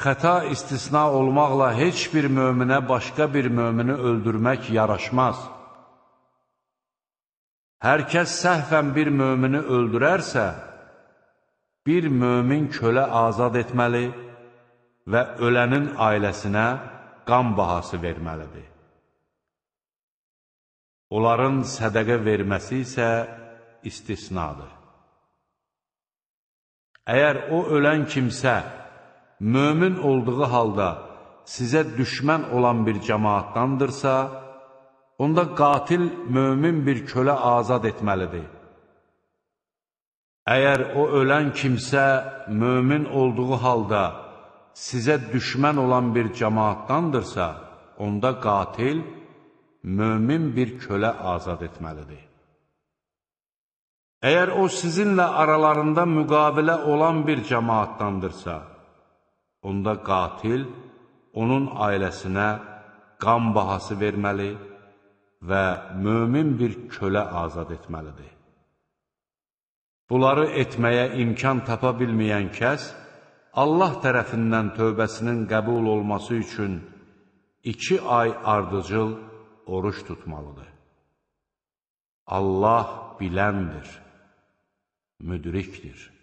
xəta istisna olmaqla heç bir möminə başqa bir mömini öldürmək yaraşmaz. Hər kəs səhvən bir mömini öldürərsə, bir mömin kölə azad etməli və ölənin ailəsinə qan bahası verməlidir. Onların sədəqə verməsi isə istisnadır. Əgər o ölən kimsə, mömin olduğu halda sizə düşmən olan bir cəmaatdandırsa, onda qatil mömin bir kölə azad etməlidir. Əgər o ölən kimsə, mömin olduğu halda sizə düşmən olan bir cəmaatdandırsa, onda qatil mömin bir kölə azad etməlidir. Əgər o sizinlə aralarında müqavilə olan bir cəmaatdandırsa, onda qatil onun ailəsinə qan bahası verməli və mömin bir kölə azad etməlidir. Bunları etməyə imkan tapa bilməyən kəs, Allah tərəfindən tövbəsinin qəbul olması üçün 2 ay ardıcıl oruç tutmalıdır. Allah biləndir, müdrikdir.